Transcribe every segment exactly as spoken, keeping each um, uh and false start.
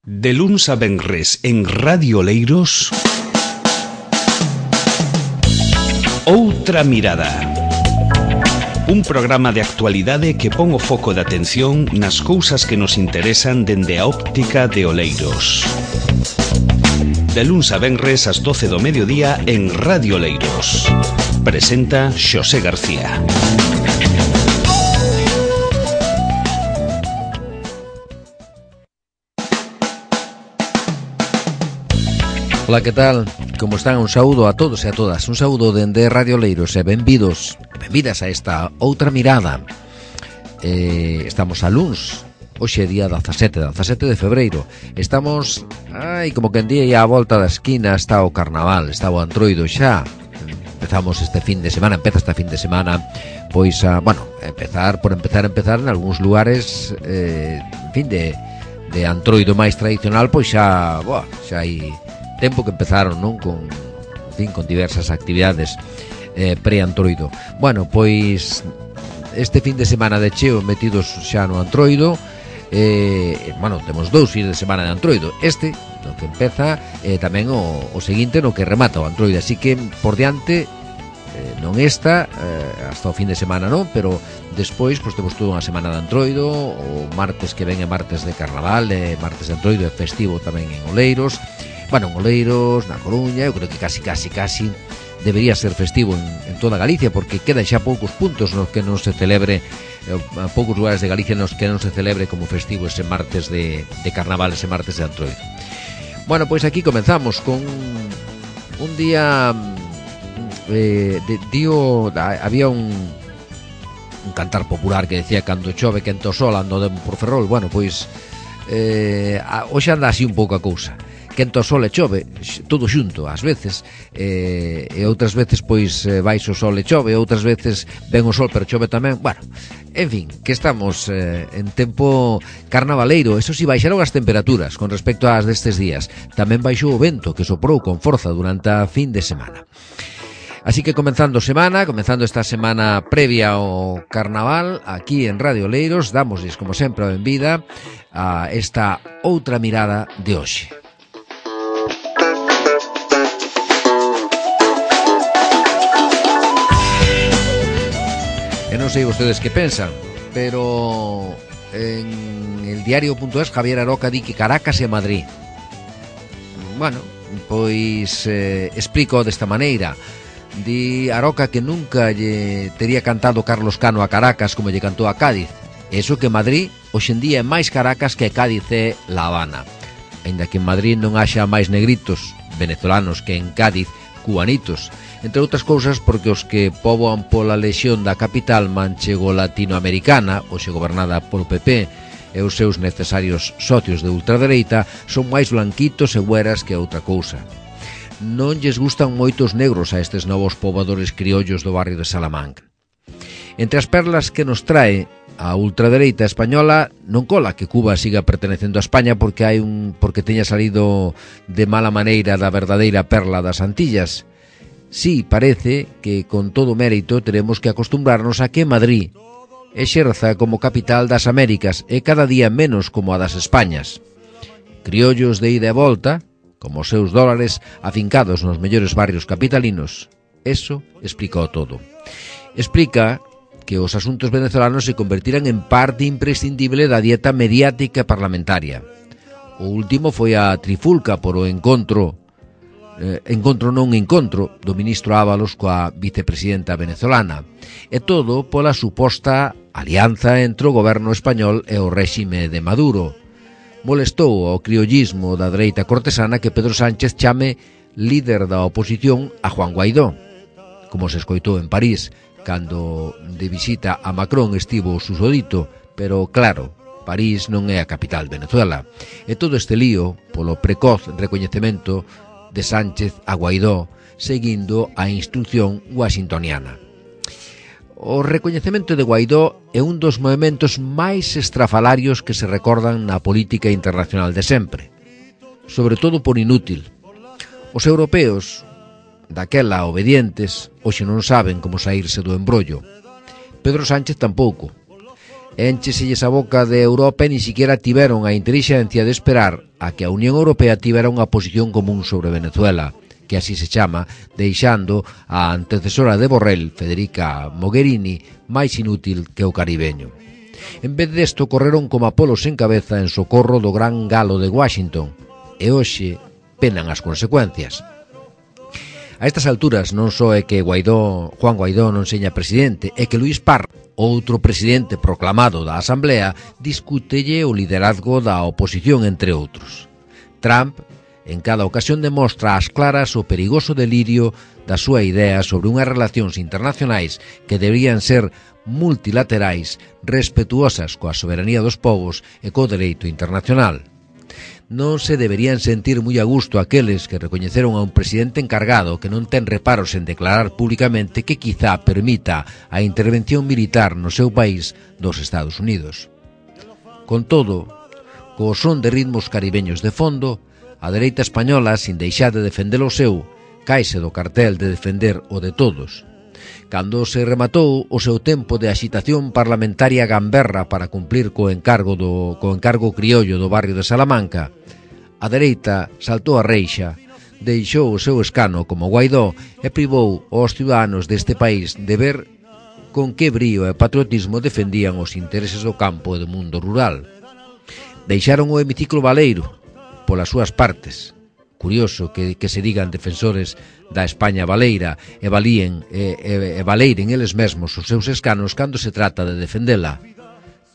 De luns a venres en Radio Oleiros, Outra Mirada. Un programa de actualidade que pon o foco de atención nas cousas que nos interesan dende a óptica de Oleiros. De luns a venres ás doce do mediodía en Radio Oleiros. Presenta Xosé García. Ola, que tal? Como están? Un saúdo a todos e a todas. Un saúdo dende Radio Oleiros e benvidos, benvidas a esta Outra Mirada. eh, Estamos a luns. Hoxe é día dezasete, dezasete de febreiro. Estamos, ai, como que en día e a volta da esquina está o carnaval, está o Antroido xa. Empezamos este fin de semana, empeza este fin de semana, pois a, bueno, empezar por empezar a empezar en algúns lugares, eh, en fin, de, de Antroido máis tradicional, pois xa, boa, xa hai tempo que empezaron, non? Con, en fin, con diversas actividades eh, pre-Antroido. Bueno, pois este fin de semana de cheo metidos xa no Antroido. Eh, bueno, temos dous fins de semana de Antroido. Este, no que empeza, eh, tamén o, o seguinte no que remata o Antroido. Así que, por diante, eh, non esta, eh, hasta o fin de semana non, pero despois, pois temos toda unha semana de Antroido. O martes que ven é martes de Carnaval, e martes de Antroido, é festivo tamén en Oleiros. Bueno, en Oleiros, na Coruña, eu creo que casi, casi, casi debería ser festivo en, en toda Galicia, porque quedan xa poucos puntos nos que non se celebre, eh, poucos lugares de Galicia nos que non se celebre como festivo ese martes de, de Carnaval, ese martes de Antroido. Bueno, pois aquí comenzamos con un día, eh, de, dio, había un, un cantar popular que decía: cando chove quento sol ando de por Ferrol. Bueno, pois eh, hoxe anda así un pouco a cousa. Quento sol e chove, todo xunto, ás veces, eh, e outras veces, pois, baixo o sol e chove, outras veces ven o sol pero chove tamén. Bueno, en fin, que estamos eh, en tempo carnavaleiro. Eso si, baixaron as temperaturas con respecto ás destes días. Tamén baixou o vento, que soprou con forza durante a fin de semana. Así que comenzando semana, comenzando esta semana previa ao carnaval, aquí en Radio Oleiros, damosles, como sempre, a benvida a esta Outra Mirada de hoxe. E non sei vostedes que pensan, pero en el diario.es Javier Aroca di que Caracas e Madrid. Bueno, pois eh, explico desta maneira. Di Aroca que nunca lle tería cantado Carlos Cano a Caracas como lle cantou a Cádiz. Eso que Madrid hoxendía é máis Caracas que Cádiz é La Habana. Ainda que en Madrid non haxa máis negritos venezolanos que en Cádiz cubanitos, entre outras cousas porque os que poboan pola lexión da capital manchego latinoamericana, hoxe gobernada polo P P, e os seus necesarios socios de ultradereita son máis blanquitos e güeras que outra cousa. Non lles gustan moitos negros a estes novos pobadores criollos do barrio de Salamanca. Entre as perlas que nos trae a ultradereita española, non cola que Cuba siga pertenecendo a España porque hai un porque teña salido de mala maneira da verdadeira perla das Antillas. Sí, parece que con todo mérito teremos que acostumbrarnos a que Madrid exerza como capital das Américas e cada día menos como a das Españas. Criollos de ida e volta, como os seus dólares afincados nos mellores barrios capitalinos. Eso explica todo. Explica que os asuntos venezolanos se convertiran en parte imprescindible da dieta mediática parlamentaria. O último foi a trifulca por o encontro Eh, encontro non encontro do ministro Ábalos coa vicepresidenta venezolana, e todo pola suposta alianza entre o goberno español e o réxime de Maduro. Molestou ao criollismo da dereita cortesana que Pedro Sánchez chame líder da oposición a Juan Guaidó, como se escoitou en París cando de visita a Macron estivo o susodito, pero claro, París non é a capital de Venezuela, e todo este lío polo precoz recoñecemento de Sánchez a Guaidó, seguindo a instrucción washingtoniana. O recoñecemento de Guaidó é un dos movementos máis estrafalarios que se recordan na política internacional de sempre, sobre todo por inútil. Os europeos, daquela obedientes, hoxe non saben como saírse do embrollo. Pedro Sánchez tampouco. Éncheselles a boca de Europa e ni siquiera tiveron a intelixencia de esperar a que a Unión Europea tivera unha posición común sobre Venezuela, que así se chama, deixando a antecesora de Borrell, Federica Mogherini, máis inútil que o caribeño. En vez desto, correron como Apolos en cabeza en socorro do gran galo de Washington, e hoxe penan as consecuencias. A estas alturas non só é que Guaidó, Juan Guaidó non seña presidente, é que Luís Parra, outro presidente proclamado da Asamblea, discútelle o liderazgo da oposición, entre outros. Trump, en cada ocasión, demostra ás claras o perigoso delirio da súa idea sobre unhas relacións internacionais que deberían ser multilaterais, respetuosas coa soberanía dos povos e co dereito internacional. Non se deberían sentir moi a gusto aqueles que recoñeceron a un presidente encargado que non ten reparos en declarar públicamente que quizá permita a intervención militar no seu país dos Estados Unidos. Con todo, co son de ritmos caribeños de fondo, a dereita española, sin deixar de defender o seu, caise do cartel de defender o de todos. Cando se rematou o seu tempo de axitación parlamentaria gamberra para cumplir co encargo do co encargo criollo do barrio de Salamanca, a dereita saltou a reixa, deixou o seu escano como Guaidó e privou aos ciudadanos deste país de ver con que brío e patriotismo defendían os intereses do campo e do mundo rural. Deixaron o hemiciclo baleiro polas súas partes. Curioso que, que se digan defensores da España baleira e valíen e, e, e valeiren eles mesmos os seus escanos cando se trata de defendela.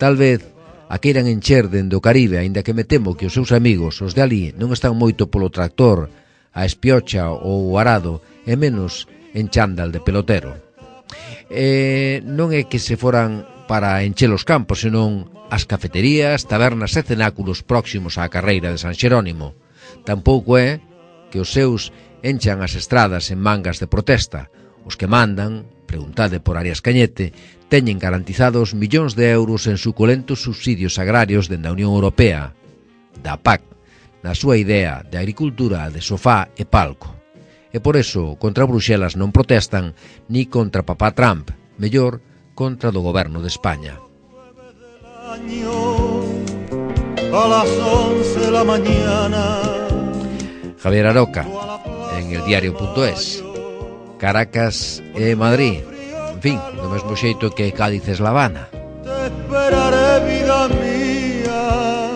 Tal vez a queiran encher dende o Caribe, aínda que me temo que os seus amigos, os de ali, non están moito polo tractor, a espiocha ou o arado, e menos en chándal de pelotero. E non é que se foran para encher os campos, senón as cafeterías, tabernas e cenáculos próximos á carreira de San Xerónimo. Tampouco é que os seus enchan as estradas en mangas de protesta. Os que mandan, preguntade por Arias Cañete, teñen garantizados millóns de euros en suculentos subsidios agrarios dende a Unión Europea, da P A C, na súa idea de agricultura de sofá e palco. E por eso, contra Bruxelas non protestan ni contra papá Trump, mellor contra do goberno de España. A las once de la mañana. Javier Aroca, en el diario punto es. Caracas e Madrid, en fin, do mesmo xeito que Cádiz es La Habana. Te esperaré, vida mía,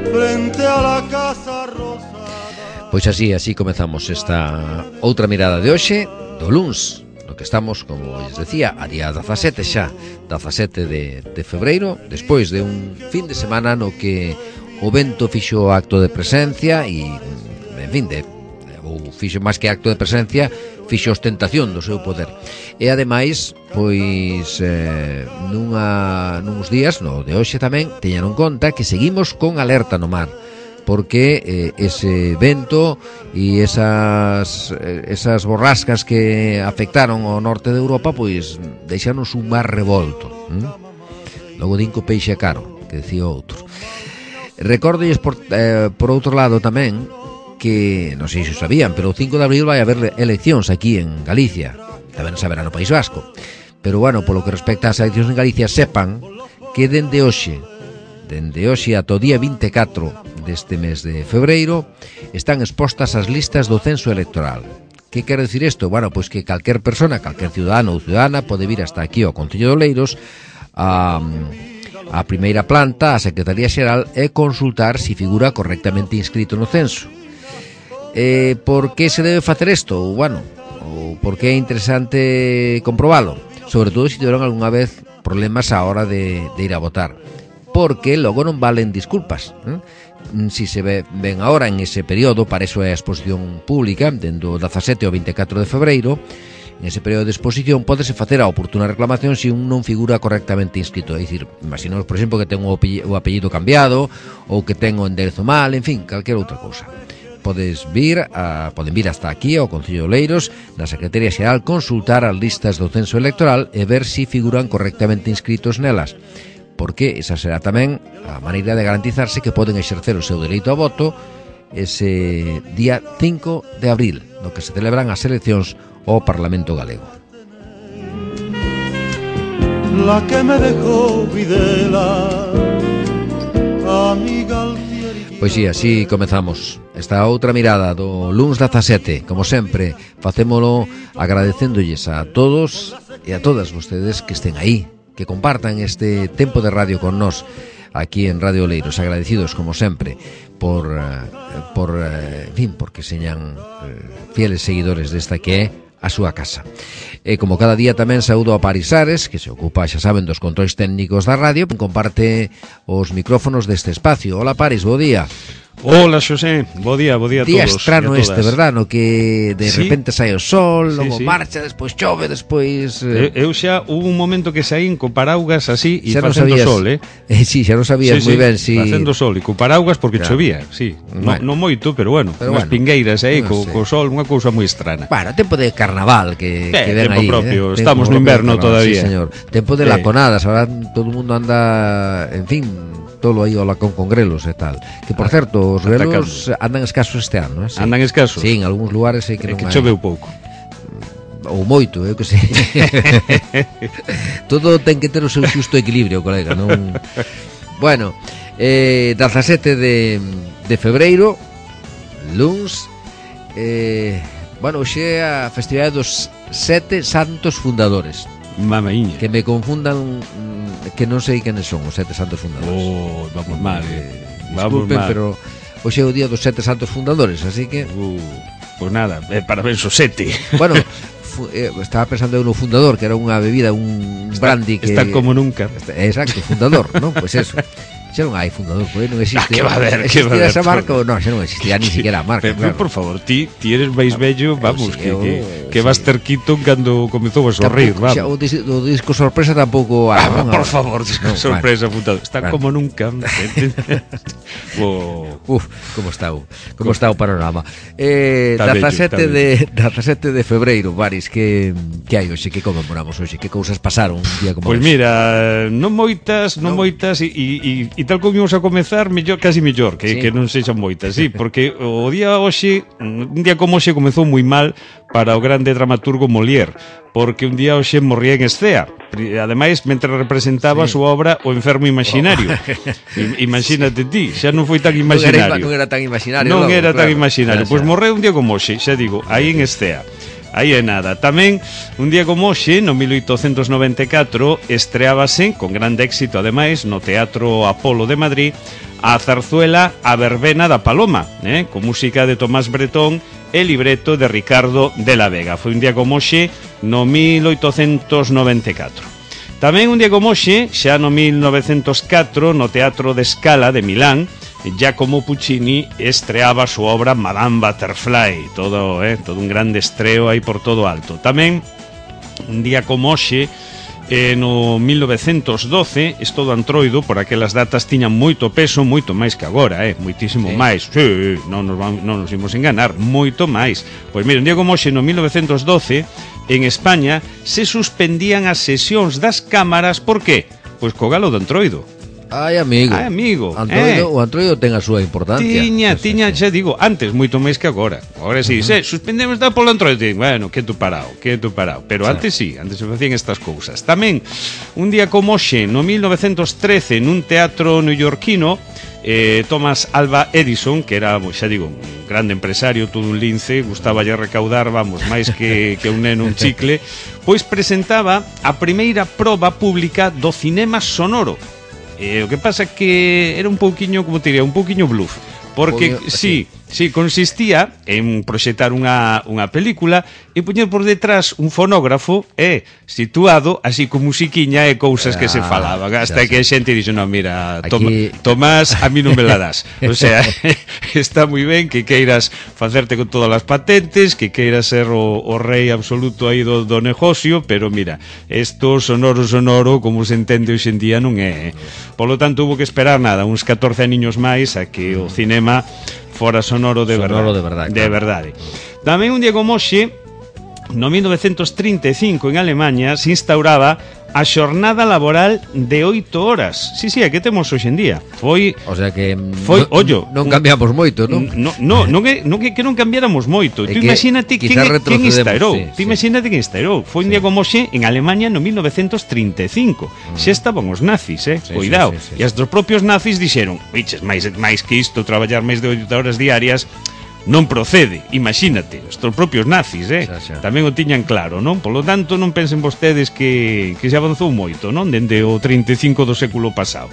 frente a la casa rosada. Pois así, así comezamos esta outra mirada de hoxe, do luns, no que estamos, como lles decía, a día dezasete xa, dezasete de, de febreiro, despois de un fin de semana no que o vento fixo acto de presencia e, en fin, de, ou fixo máis que acto de presencia, fixo ostentación do seu poder. E ademais, pois, eh, nunha, nuns días, no de hoxe tamén, teñan en conta que seguimos con alerta no mar, porque eh, ese vento e esas, esas borrascas que afectaron ao norte de Europa, pois, deixanos un mar revolto. ¿Mm? Logo dinco peixe caro, que decía outro. Recórdolles por, eh, por outro lado tamén que, non sei se o sabían, pero o cinco de abril vai haber eleccións aquí en Galicia, tamén saberá no País Vasco, pero bueno, polo que respecta ás eleccións en Galicia, sepan que dende hoxe dende hoxe ata o día vinte e catro deste mes de febreiro están expostas as listas do censo electoral. Que quere decir isto? Bueno, pois que calquer persona, calquer ciudadano ou ciudadana pode vir hasta aquí ao Concello de Oleiros a a primeira planta, a Secretaría Xeral, e consultar se figura correctamente inscrito no censo. Eh, por que se debe facer isto? Ou, bueno, ou por que é interesante comprobalo? Sobre todo se tiveron algunha vez problemas á hora de, de ir a votar. Porque logo non valen disculpas. ¿eh? Si se ve, ven ahora en ese período, para eso é a exposición pública, dendo dezasete ao vinte e catro de febreiro, en ese período de exposición pódese facer a oportuna reclamación se un non figura correctamente inscrito. É dicir, imaginamos, por exemplo, que ten o apellido cambiado ou que ten o enderezo mal, en fin, calquera outra cousa. Podes vir a, poden vir hasta aquí ao Concello de Oleiros, na Secretaría Xeral, consultar as listas do censo electoral e ver se figuran correctamente inscritos nelas, porque esa será tamén a maneira de garantizarse que poden exercer o seu dereito a voto ese día cinco de abril, no que se celebran as eleccións ao Parlamento Galego. la que me dejó Videla, amiga Altieri. Pois si, así comezamos esta outra mirada do luns dezasete. Como sempre, facémolo agradecéndolles a todos e a todas vostedes que estén aí, que compartan este tempo de radio con nós aquí en Radio Oleiros. Agradecidos, como sempre, por, por en fin, porque señan fieles seguidores desta que é a súa casa. E como cada día tamén saúdo a Paris Ares, que se ocupa, xa saben, dos controis técnicos da radio, comparte os micrófonos deste espacio. Hola Paris, bo día. Hola Xosé, bo día, bo día a Día todos. estrano este, verdad, no que de sí. repente sai o sol, sí, logo sí. marcha, despois chove, despois eh... Eu xa hubo un momento que saín co paraugas así e facendo sabías, sol, eh? eh sí, xa non sabías sí, moi sí, ben si facendo sol e co paraugas porque claro. chovía, sí. Bueno. No, non moito, pero bueno, Pero unhas bueno, pingueiras aí non co, sei. co sol, unha cousa moi estrana. Bueno, tempo de carnaval que, eh, que ven tempo aí propio, eh? estamos tempo no inverno carnaval, todavía. Sí, señor. Tempo de eh. laconadas, ahora todo o mundo anda, en fin, todo aí o lacón con grelos e tal. Que por certo, os grelos atacando. Andan escasos este ano, eh? Sí. Andan escasos? Sí, en algúns lugares sei que é non que hai. choveu pouco. Ou moito, eu que sei. Todo ten que ter o seu xusto equilibrio, colega, non. Bueno, eh dezasete de de febreiro, luns, eh bueno, hoxe é a festividade dos sete santos fundadores. Mamaíña. Que me confundan, que non sei quenes son os sete santos fundadores. Oh, vamos mal, eh. Vamos Disculpen, mal. Pero hoxe é o día dos sete santos fundadores, así que uh, pues nada, eh, parabéns os sete. bueno, fu, eh, estaba pensando eu no fundador, que era unha bebida, un está, brandy que está como nunca. Está, exacto, fundador, non? Pois pues eso. Xa non hai fundador, porque non existe. Ah, que va a haber, que va a haber, esa marca ou non, xa non existía ni siquiera a marca, pero, claro. por favor, ti, ti eres máis vello, vamos, sí, que, eu, que, que sí. vas ter quito cando comezou a sorrir, Tampouco, xa, o, vamos. dis, o disco sorpresa tampouco Ah, ah, non, por favor, no, sorpresa, bueno. Apuntado. Está bueno. como nunca. oh. Uf, como está o, como está o panorama. Eh, Está dezasete bello, de dezasete de febreiro, Baris, que que hai hoxe, que conmemoramos hoxe, que cousas pasaron un día como Pois pues hoxe? mira, non moitas, non No. moitas e, e, e tal como íamos a comezar, mellor, casi mellor, que, Sí. que non sexan moitas, sí, porque o día hoxe, un día como hoxe comezou moi mal para o grande dramaturgo Molière, porque un día hoxe morría en escea. Ademais, mentre representaba Sí. a súa obra O enfermo imaginario. I, imagínate ti, xa non foi tan imaginario. Non era, non era tan imaginario. Non logo, era tan claro. imaginario. Xa, Pois xa. morreu un día como hoxe, xa digo, aí en Escea. Aí é nada. Tamén, un día como hoxe, no mil oitocentos noventa e catro, estreábase, con grande éxito ademais, no Teatro Apolo de Madrid, a zarzuela A Verbena da Paloma, eh, con música de Tomás Bretón e libreto de Ricardo de la Vega. Foi un día como hoxe, no mil oitocentos noventa e catro. Tamén un día como hoxe, xa no mil novecentos catro, no Teatro de Scala de Milán, Giacomo Puccini estreaba a súa obra Madame Butterfly, todo, eh, todo un grande estreo aí por todo alto. Tamén, un día como hoxe, eh, no mil novecentos doce, isto do Antroido, por aquelas datas tiñan moito peso, moito máis que agora, eh, moitísimo Sí. máis. Sí, non nos, vamos, non nos imos enganar, moito máis. Pois mira, un día como hoxe, no mil novecentos doce, en España, se suspendían as sesións das cámaras, por qué? Pois co galo do Antroido. Ai, amigo. Ai, amigo. Antroido, eh. o Antroido ten a súa importancia. Tiña, Sí, tiña, xa sí, digo, antes moito máis que agora. Agora si, uh -huh. suspendemos da polo Antroido. Bueno, que tu parao, que tu parao. Pero sí. antes sí, antes se facían estas cousas. Tamén, un día como hoxe, no mil novecentos trece, nun teatro neoyorquino, eh, Thomas Alva Edison, que era, xa digo, un grande empresario, todo un lince, gustaballe recaudar, vamos, máis que, que un neno un chicle, pois presentaba a primeira proba pública do cinema sonoro. Eh, o que pasa que era un pouquiño, como te diría, un pouquiño bluff. Porque, Pouquiño, sí, sí, consistía en proxectar unha, unha película e poñer por detrás un fonógrafo e situado así con musiquiña e cousas que se Ah, falaban. Hasta xa, que a xa. xente dixo, no, mira, Aquí- toma, Tomás, a mí non me la das. O sea, está moi ben que queiras facerte con todas as patentes, que queiras ser o, o rei absoluto aí do, do negocio, pero mira, esto sonoro sonoro, como se entende hoxe en día, non é. Polo tanto, hubo que esperar nada, uns catorce aniños máis a que o cinema fora sonoro de Sonoro verdade. de verdade, De claro. verdade. Tamén un día como hoxe, no mil novecentos trinta e cinco en Alemanha se instauraba a xornada laboral de oito horas. Sí, sí, é que temos hoxe en día. Foi, o sea que foi, no, ollo, non cambiamos moito, non? No, no, non é, non é que non cambiáramos moito. É Tú que imagínate quen, quen instaurou. Sí, Tú sí. imagínate quen instaurou. Foi un sí. día como hoxe en Alemania no mil novecientos trinta e cinco. Mm. Xa estaban os nazis, eh? Sí, Cuidado. Sí, sí, sí, e os propios nazis dixeron, "Biches, máis máis que isto, traballar máis de oito horas diarias non procede, imagínate, os propios nazis, eh? Xa, xa. Tamén o tiñan claro, non? Polo tanto, non pensen vostedes que, que se avanzou moito, non? Dende o trinta e cinco do século pasado.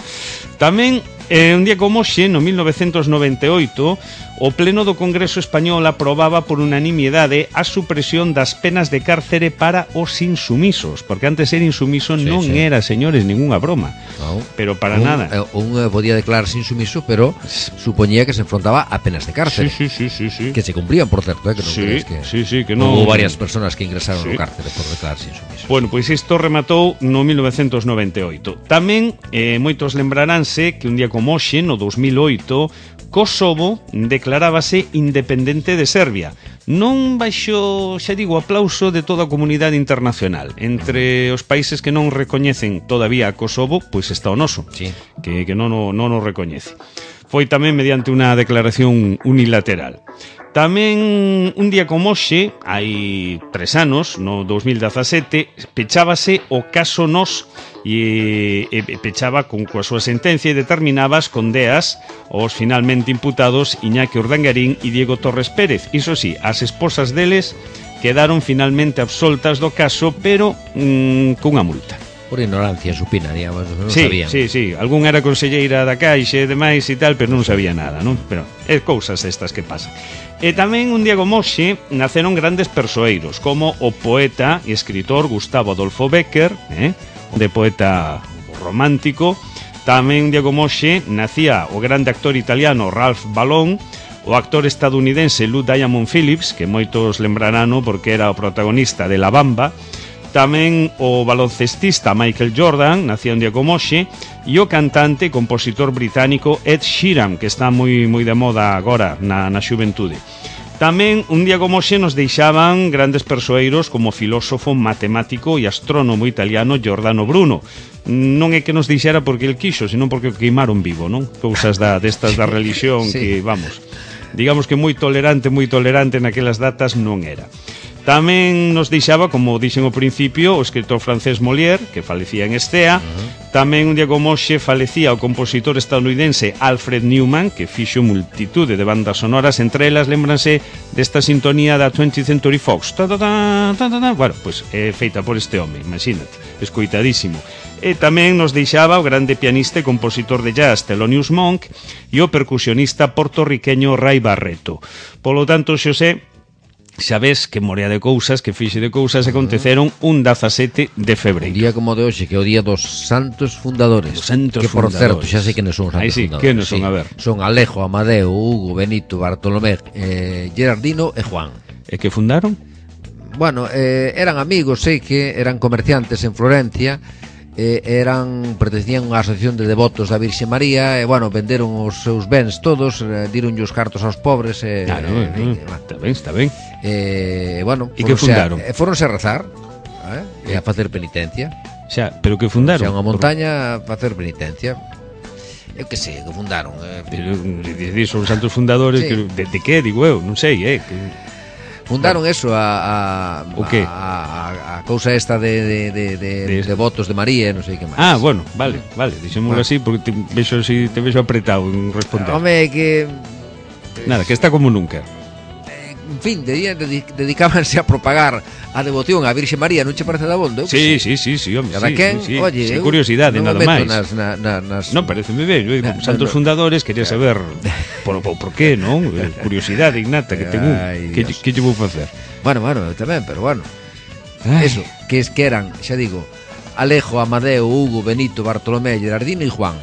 Tamén, eh, un día como hoxe, no mil novecientos noventa e oito, o Pleno do Congreso Español aprobaba por unanimidade a supresión das penas de cárcere para os insumisos, porque antes ser insumiso sí, non sí. era, señores, ninguna broma. No. Pero para un, nada. Un eh, podía declararse insumiso, pero supoñía que se enfrentaba a penas de cárcere. Sí, sí, sí, sí, sí. Que se cumplían, por certo, eh, que non sí, crees que sí, sí, que non... Hubo varias personas que ingresaron sí. no cárcere por declararse insumiso. Bueno, pois isto rematou no mil novecientos noventa e oito. Tamén, eh, moitos lembraránse que un día como hoxe, no dos mil oito, Kosovo declarábase independente de Serbia. Non baixo, xa digo, aplauso de toda a comunidade internacional. Entre os países que non recoñecen todavía a Kosovo, pois está o noso, sí. que, que non, o, non o recoñece. Foi tamén mediante unha declaración unilateral. Tamén un día como hoxe, hai tres anos, no dos mil dezasete, pechábase o caso Nos e, e pechaba con coa súa sentencia e determinaba as condeas aos finalmente imputados Iñaki Urdangarín e Diego Torres Pérez. Iso sí, as esposas deles quedaron finalmente absoltas do caso, pero mmm, cunha multa. Por ignorancia supina, digamos, non sí, sabían. Sí, sí, algún era conselleira da Caixa e demais e tal, pero non sabía nada, non? Pero é cousas estas que pasan. E tamén un día como hoxe naceron grandes persoeiros, como o poeta e escritor Gustavo Adolfo Bécquer, eh? de poeta romántico. Tamén un día como hoxe nacía o grande actor italiano Ralph Balón, o actor estadounidense Lou Diamond Phillips, que moitos lembrarán porque era o protagonista de La Bamba. Tamén o baloncestista Michael Jordan, nacía un día como hoxe, e o cantante e compositor británico Ed Sheeran, que está moi moi de moda agora na, na xuventude. Tamén un día como hoxe nos deixaban grandes persoeiros como o filósofo, matemático e astrónomo italiano Giordano Bruno. Non é que nos deixara porque el quixo, senón porque o queimaron vivo, non? Cousas da, destas da religión sí. que, vamos, digamos que moi tolerante, moi tolerante naquelas datas non era. Tamén nos deixaba, como dixen ao principio, o escritor francés Molière, que falecía en Estea. Uh-huh. Tamén un día como hoxe falecía o compositor estadounidense Alfred Newman, que fixo multitude de bandas sonoras, entre elas lembranse desta sintonía da twentieth Century Fox. Ta, ta, ta, ta, ta, ta. Bueno, pois pues, é feita por este home, imagínate, escoitadísimo. E tamén nos deixaba o grande pianista e compositor de jazz Thelonious Monk e o percusionista portorriqueño Ray Barreto. Polo tanto, Xosé, xa ves que morea de cousas, que fixe de cousas aconteceron un dezasete de febreiro. Un día como de hoxe, que é o día dos santos fundadores. Dos santos que, por fundadores. certo, xa sei que non son os santos Aí sí, fundadores. que non son, sí. a ver. Son Alejo, Amadeo, Hugo, Benito, Bartolomé, eh, Gerardino e Juan. E que fundaron? Bueno, eh, eran amigos, sei que eran comerciantes en Florencia, eh, eran pertencían a unha asociación de devotos da Virxe María e, bueno, venderon os seus bens todos, eh, dironlle os cartos aos pobres e, claro, eh, eh, eh, está ben, está ben. E, eh, bueno, e que fundaron? A, foronse a rezar eh, e a facer penitencia. Xa, pero que fundaron? Xa, unha montaña a facer penitencia. Eu que sei, que fundaron eh, pero, son os santos fundadores, sí. que, de, de que, digo eu, non sei, eh, que... Fundaron eso a, a, o qué? a, a, a cousa esta de, de, de, de, de, de votos de María, non sei que máis. Ah, bueno, vale, vale, dixémoslo bueno. así porque te vexo, si, te vexo apretado en responder. Home, que... Nada, que está como nunca. En fin, de, de, dedicábanse a propagar a devoción á Virxe María, non che parece da bondo? Sí, sí, sí, sí, hombre, cada sí, quen, sí, sí. Oye, sin curiosidade, non nada máis. Nas, na, na, nas... Non, parece moi ben, eu, na, santos no, fundadores, quería saber por, por, por qué, non? Curiosidade innata que tengo. Que, que lle vou facer? Bueno, bueno, eu tamén, pero bueno. Ay. Eso, que es que eran, xa digo, Alejo, Amadeo, Hugo, Benito, Bartolomé, Gerardino e Juan.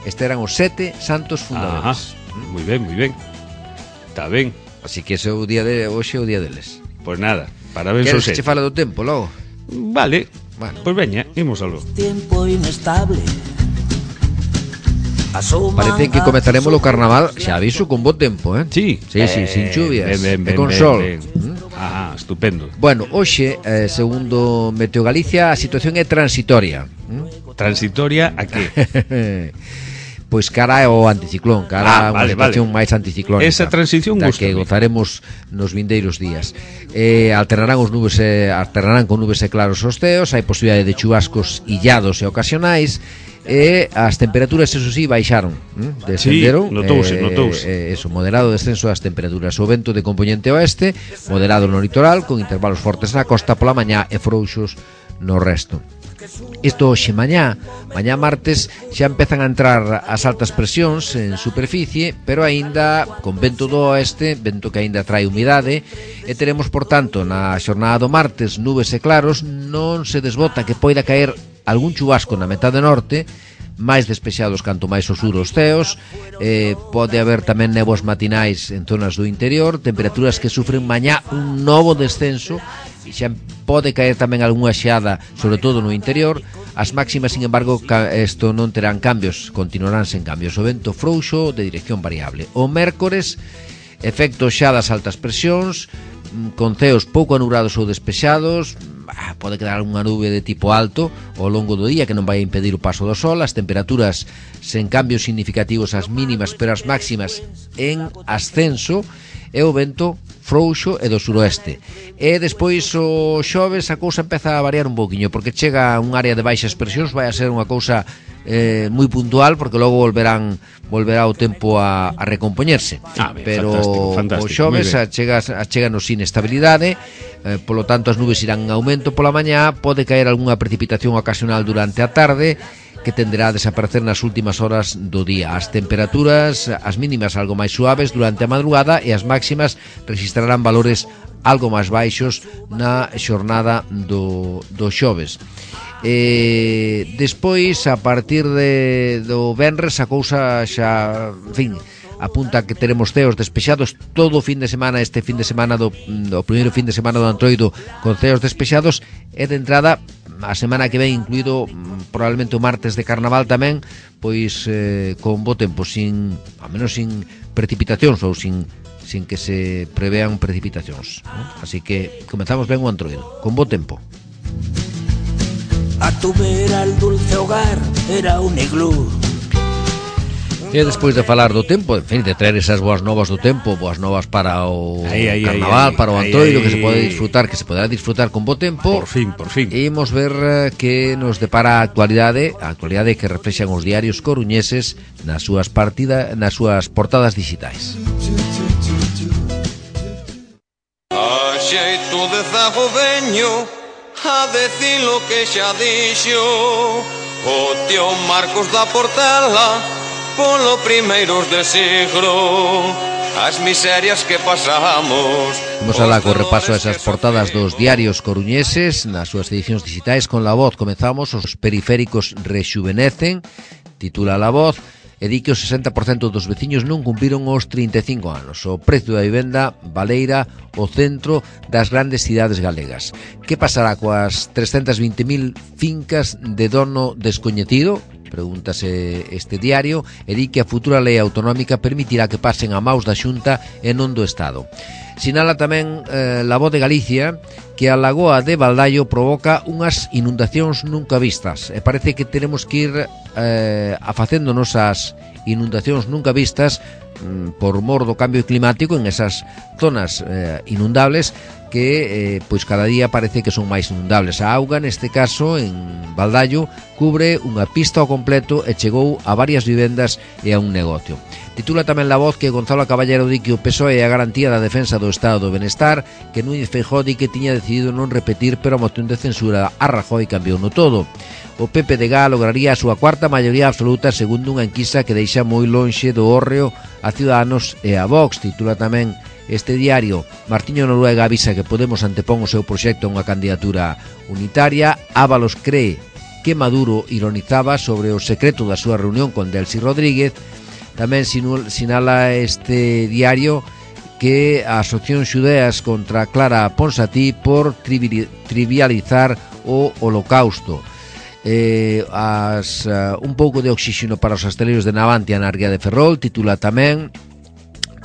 Estes eran os sete santos fundadores. Ajá, moi ben, moi ben. Está ben. Así que ese é o día de hoxe, o día deles. Pois pues nada, parabéns aos sete. Que che fala do tempo, logo? Vale, bueno. Pois pues veña, imos algo. Tempo inestable. Parece que comezaremos o carnaval, xa aviso, con bo tempo, eh? Sí. Sí, sí, sin chuvias. Ben, ben, ben, e con ben, sol. Ben. ¿Mm? Ah, estupendo. Bueno, hoxe, eh, segundo Meteo Galicia, a situación é transitoria. ¿Mm? Transitoria a que? Pois cara ao anticiclón, cara a ah, unha vale, situación vale. máis anticiclónica. Esa transición da gusta que gozaremos nos vindeiros días. Eh, alternarán os nubes e, alternarán con nubes e claros os ceos, hai posibilidade de chubascos illados e ocasionais, e as temperaturas, eso sí, baixaron, ¿eh? Descenderon. Sí, notouse, eh, notouse. Eh, eso, moderado descenso das temperaturas. O vento de componente oeste, moderado no litoral, con intervalos fortes na costa pola mañá e frouxos no resto. Isto hoxe mañá, mañá martes, xa empezan a entrar as altas presións en superficie, pero aínda con vento do oeste, vento que aínda trae humidade, e teremos, por tanto, na xornada do martes nubes e claros. Non se desbota que poida caer algún chubasco na metade norte, máis despexados canto máis ao sur os ceos. Eh, pode haber tamén néboas matinais en zonas do interior, temperaturas que sufren mañá un novo descenso, e xa pode caer tamén algunha xeada, sobre todo no interior. As máximas, sin embargo, isto non terán cambios, continuarán sen cambios. O vento frouxo de dirección variable. O mércores, efecto xa das altas presións, con ceos pouco anubrados ou despexados. Pode quedar unha nube de tipo alto ao longo do día que non vai impedir o paso do sol. As temperaturas sen cambios significativos as mínimas, pero as máximas en ascenso, e o vento frouxo e do suroeste. E despois o xoves a cousa empeza a variar un pouquiño, porque chega un área de baixas presións, vai a ser unha cousa eh, moi puntual, porque logo volverán volverá o tempo a, a recompoñerse. Ah, ben, pero fantástico, fantástico, o xoves a chega, a chega nos inestabilidade, eh, polo tanto as nubes irán en aumento pola mañá, pode caer algunha precipitación ocasional durante a tarde, que tenderá a desaparecer nas últimas horas do día. As temperaturas, as mínimas algo máis suaves durante a madrugada, e as máximas registrarán valores algo máis baixos na xornada do, do xoves. E despois, a partir de, do venres, a cousa xa, en fin, apunta que teremos ceos despexados todo o fin de semana, este fin de semana do, do primeiro fin de semana do Antroido, con ceos despexados, e de entrada a semana que ven, incluído probablemente o martes de carnaval tamén, pois eh, con bo tempo, sin, a menos sin precipitacións, ou sin, sin que se prevean precipitacións, ¿no? Así que comenzamos ben o Antroido, con bo tempo. A tu vera el dulce hogar era un iglú. E despois de falar do tempo, en fin, de traer esas boas novas do tempo, boas novas para o ay, ay, carnaval, ay, para o ay, Antroido, ay, que se pode disfrutar, que se poderá disfrutar con bo tempo. Por fin, por fin. E imos ver uh, que nos depara a actualidade, a actualidade que reflexan os diarios coruñeses nas súas partida, nas súas portadas digitais. A xeito de zago veño a decir lo que xa dixo o tío Marcos da Portela polo primeiros de siglo, as miserias que pasamos. Vamos alá co repaso a esas portadas dos diarios coruñeses nas súas edicións digitais con La Voz. Comezamos, os periféricos rexuvenecen, titula La Voz, e di que o sesenta por cento dos veciños non cumpriron os trinta e cinco anos. O prezo da vivenda baleira o centro das grandes cidades galegas. Que pasará coas trescentas vinte mil fincas de dono descoñecido? Pregúntase este diario, e di que a futura lei autonómica permitirá que pasen a maus da Xunta e non do Estado. Sinala tamén eh, La Voz de Galicia que a lagoa de Baldaio provoca unhas inundacións nunca vistas, e parece que tenemos que ir eh, afacéndonos as inundacións nunca vistas mm, por mor do cambio climático en esas zonas eh, inundables que eh, pois cada día parece que son máis inundables. A auga, neste caso, en Baldaio, cubre unha pista ao completo e chegou a varias vivendas e a un negocio. Titula tamén La Voz que Gonzalo Caballero di que o P S O E é a garantía da defensa do Estado do Benestar, que Núñez Feijóo di que tiña decidido non repetir, pero a moción de censura a Rajoy cambiou no todo. O P P D G lograría a súa cuarta maioría absoluta segundo unha enquisa que deixa moi lonxe do hórreo a Ciudadanos e a Vox. Titula tamén este diario. Martiño Noruega avisa que Podemos antepón o seu proxecto a unha candidatura unitaria. Ábalos cree que Maduro ironizaba sobre o secreto da súa reunión con Delcy Rodríguez. Tamén sinala este diario que as opcións xudeas contra Clara Ponsatí por trivializar o holocausto. Eh, as, uh, un pouco de oxígeno para os asteleiros de Navantia na Ría de Ferrol. Titula tamén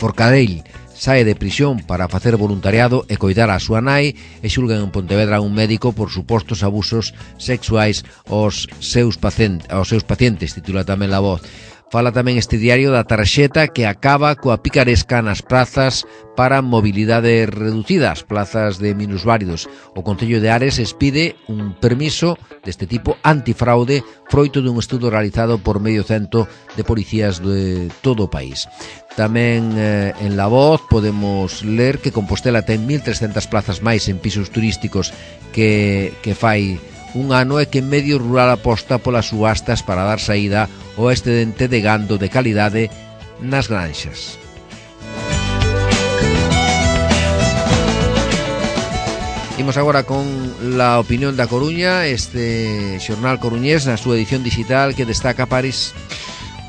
Forcadell sae de prisión para facer voluntariado e coidar a súa nai e xulgan en Pontevedra un médico por supostos abusos sexuais aos seus pacientes, aos seus pacientes, titula tamén La Voz. Fala tamén este diario da tarxeta que acaba coa picaresca nas prazas para mobilidade reducida, as plazas de minusválidos. O Concello de Ares expide un permiso deste tipo antifraude froito dun estudo realizado por medio cento de policías de todo o país. Tamén eh, en La Voz podemos ler que Compostela ten mil trescentas plazas máis en pisos turísticos que, que fai un ano e que en medio rural aposta polas subastas para dar saída ao excedente de gando de calidade nas granxas. Imos agora con la opinión da Coruña, este xornal coruñés na súa edición digital que destaca París.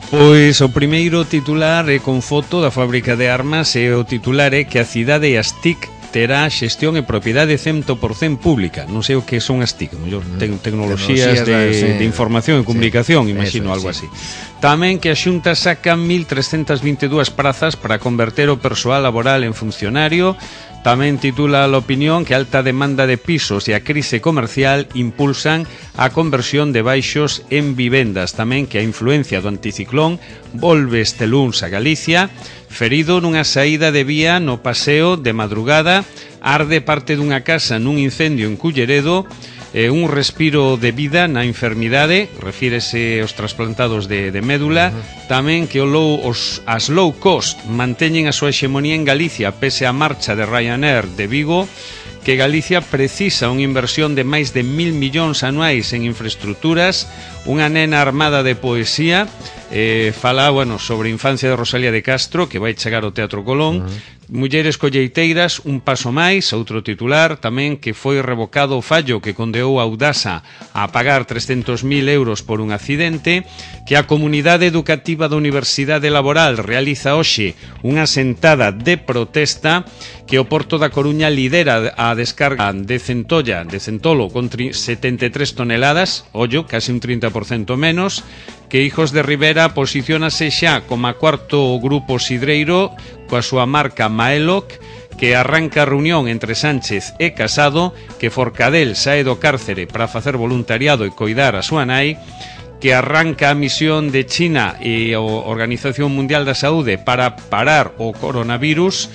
Pois o primeiro titular é con foto da fábrica de armas e o titular é que a cidade as T I C terá xestión e propiedade cento por cento pública. Non sei o que son as T I C, mellor te tecnoloxías de, sí. de información e comunicación, sí, imagino, eso, algo sí. así. Tamén que a Xunta saca mil trescentas vinte e dúas prazas para converter o persoal laboral en funcionario. Tamén titula a opinión que a alta demanda de pisos e a crise comercial impulsan a conversión de baixos en vivendas. Tamén que a influencia do anticiclón volve este luns a Galicia. Ferido nunha saída de vía no paseo de madrugada, arde parte dunha casa nun incendio en Culleredo. Eh, un respiro de vida na enfermidade, refírese aos trasplantados de, de médula. Uh-huh. Tamén que o low, os, as low cost manteñen a súa hexemonía en Galicia pese a marcha de Ryanair de Vigo, que Galicia precisa unha inversión de máis de mil millóns anuais en infraestructuras. Unha nena armada de poesía eh, fala, bueno, sobre a infancia de Rosalía de Castro, que vai chegar ao Teatro Colón. Uh-huh. Mulleres colleiteiras, un paso máis, outro titular. Tamén que foi revocado o fallo que condeou a Audasa a pagar trescentos mil euros por un accidente. Que a comunidade educativa da Universidade Laboral realiza hoxe unha sentada de protesta. Que o Porto da Coruña lidera a descarga de centolla, de centolo, con setenta e tres toneladas, ollo, casi un trinta por cento menos. Que Hijos de Rivera posiciónase xa como a cuarto grupo sidreiro coa súa marca Maeloc, que arranca a reunión entre Sánchez e Casado, que Forcadell sae do cárcere para facer voluntariado e coidar a súa nai, que arranca a misión de China e a Organización Mundial da Saúde para parar o coronavirus,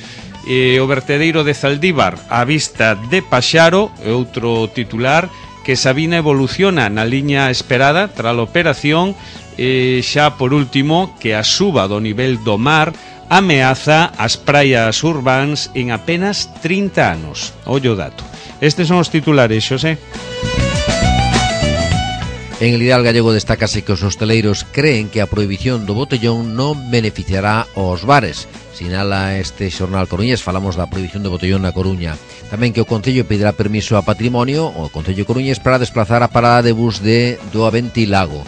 e o vertedeiro de Zaldívar á vista de Paxaro, e outro titular, que Sabina evoluciona na liña esperada tras a operación. E xa por último, que a suba do nivel do mar ameaza as praias urbáns en apenas trinta anos. Ollo dato. Estes son os titulares, Xosé. En el Ideal Gallego destácase que os hosteleiros creen que a prohibición do botellón non beneficiará aos bares. Sinala este xornal coruñés, falamos da prohibición do botellón na Coruña. Tamén que o Concello pedirá permiso a Patrimonio, o Concello coruñés, para desplazar a parada de bus de do Aventilago.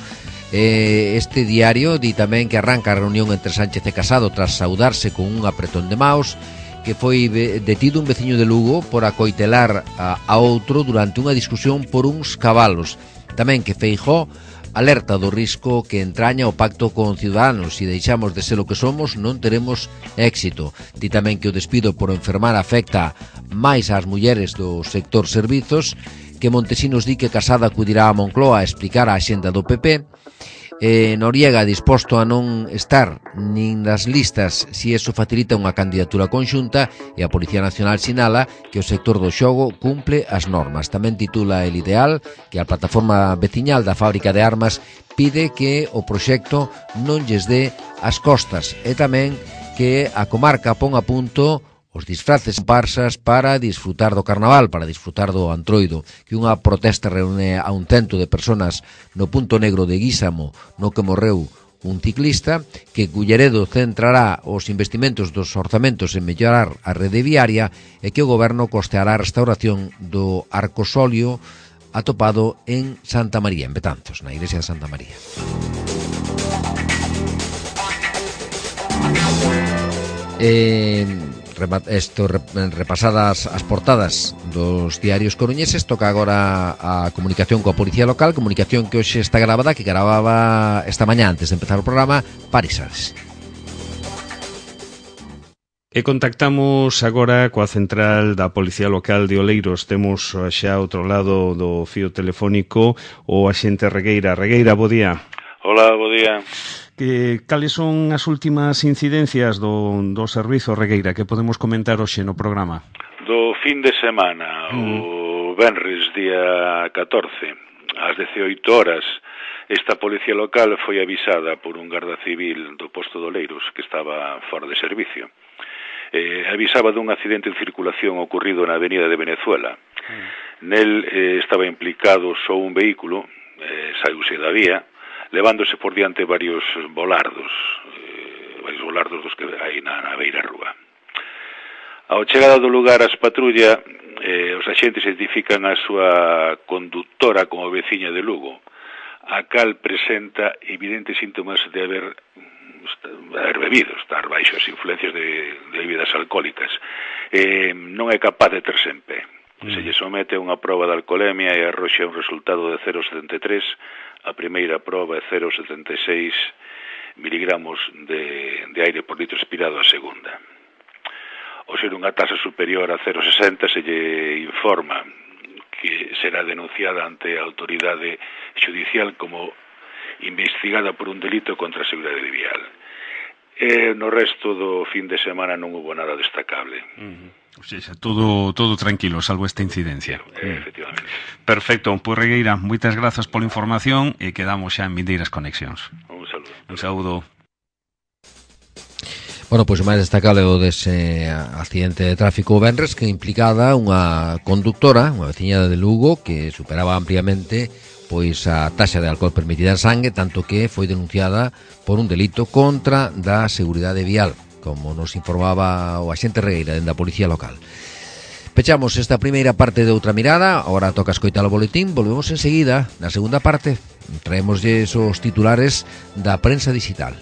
Eh, este diario di tamén que arranca a reunión entre Sánchez e Casado tras saudarse con un apretón de maos, que foi detido un veciño de Lugo por acoitelar a, a outro durante unha discusión por uns cabalos. Tamén que Feijóo alerta do risco que entraña o pacto con Ciudadanos. Se deixamos de ser o que somos, non teremos éxito. Di tamén que o despido por enfermar afecta máis ás mulleres do sector servizos, que Montesinos di que Casado acudirá a Moncloa a explicar a axenda do P P. Eh, Noriega disposto a non estar nin nas listas se eso facilita unha candidatura conxunta, e a Policía Nacional sinala que o sector do xogo cumple as normas. Tamén titula El Ideal que a plataforma veciñal da fábrica de armas pide que o proxecto non lles dé as costas, e tamén que a comarca pon a punto os disfraces comparsas para disfrutar do carnaval, para disfrutar do Antroido, que unha protesta reúne a un cento de personas no punto negro de Guísamo, no que morreu un ciclista, que Culleredo centrará os investimentos dos orzamentos en mellorar a rede viaria, e que o goberno costeará a restauración do arcosolio atopado en Santa María, en Betanzos, na iglesia de Santa María. Eh... Esto, repasadas as portadas dos diarios coruñeses, toca agora a comunicación coa Policía Local, comunicación que hoxe está gravada, que gravaba esta mañá antes de empezar o programa París Ares. E contactamos agora coa central da Policía Local de Oleiros. Temos xa outro lado do fío telefónico o axente Regueira. Regueira, bo día. Hola, bo día. Que, cales son as últimas incidencias do, do servizo, Regueira, que podemos comentar hoxe no programa? Do fin de semana, mm. o venres, día catorce, ás dezioito horas, esta Policía Local foi avisada por un garda civil do posto de Oleiros que estaba fora de servicio. Eh, avisaba dun accidente en circulación ocurrido na avenida de Venezuela. Mm. Nel eh, estaba implicado só un vehículo, eh, saíuse da vía, levándose por diante varios volardos, eh, varios volardos dos que hai na, na beira rúa. Ao chegada do lugar as patrulla, eh, os axentes identifican a súa conductora como veciña de Lugo, a cal presenta evidentes síntomas de haber, de haber bebido, estar baixo as influencias de, de bebidas alcohólicas. Eh, non é capaz de terse en pé. Mm. Se lle somete a unha proba de alcoholemia e arroxa un resultado de cero vírgula setenta e tres, a primeira proba é cero vírgula setenta e seis miligramos de, de aire por litro expirado a segunda. Ao ser unha tasa superior a cero vírgula sesenta se lle informa que será denunciada ante a autoridade judicial como investigada por un delito contra a seguridade vial. E no resto do fin de semana non hubo nada destacable. Uh-huh. O sea, todo, todo tranquilo, salvo esta incidencia. Eh, efectivamente. Perfecto, pois Regueira, moitas grazas pola información e quedamos xa en vindeiras conexións. Un saludo. Un saúdo. Bueno, pois o máis destacable o dese accidente de tráfico venres que implicada unha conductora, unha veciña de Lugo, que superaba ampliamente pois a taxa de alcohol permitida en sangue, tanto que foi denunciada por un delito contra da seguridade vial, como nos informaba o axente Regueira dende a Policía Local. Pechamos esta primeira parte de Outra Mirada, agora toca escoitar o boletín, volvemos enseguida, na segunda parte, traémoslle os titulares da prensa digital.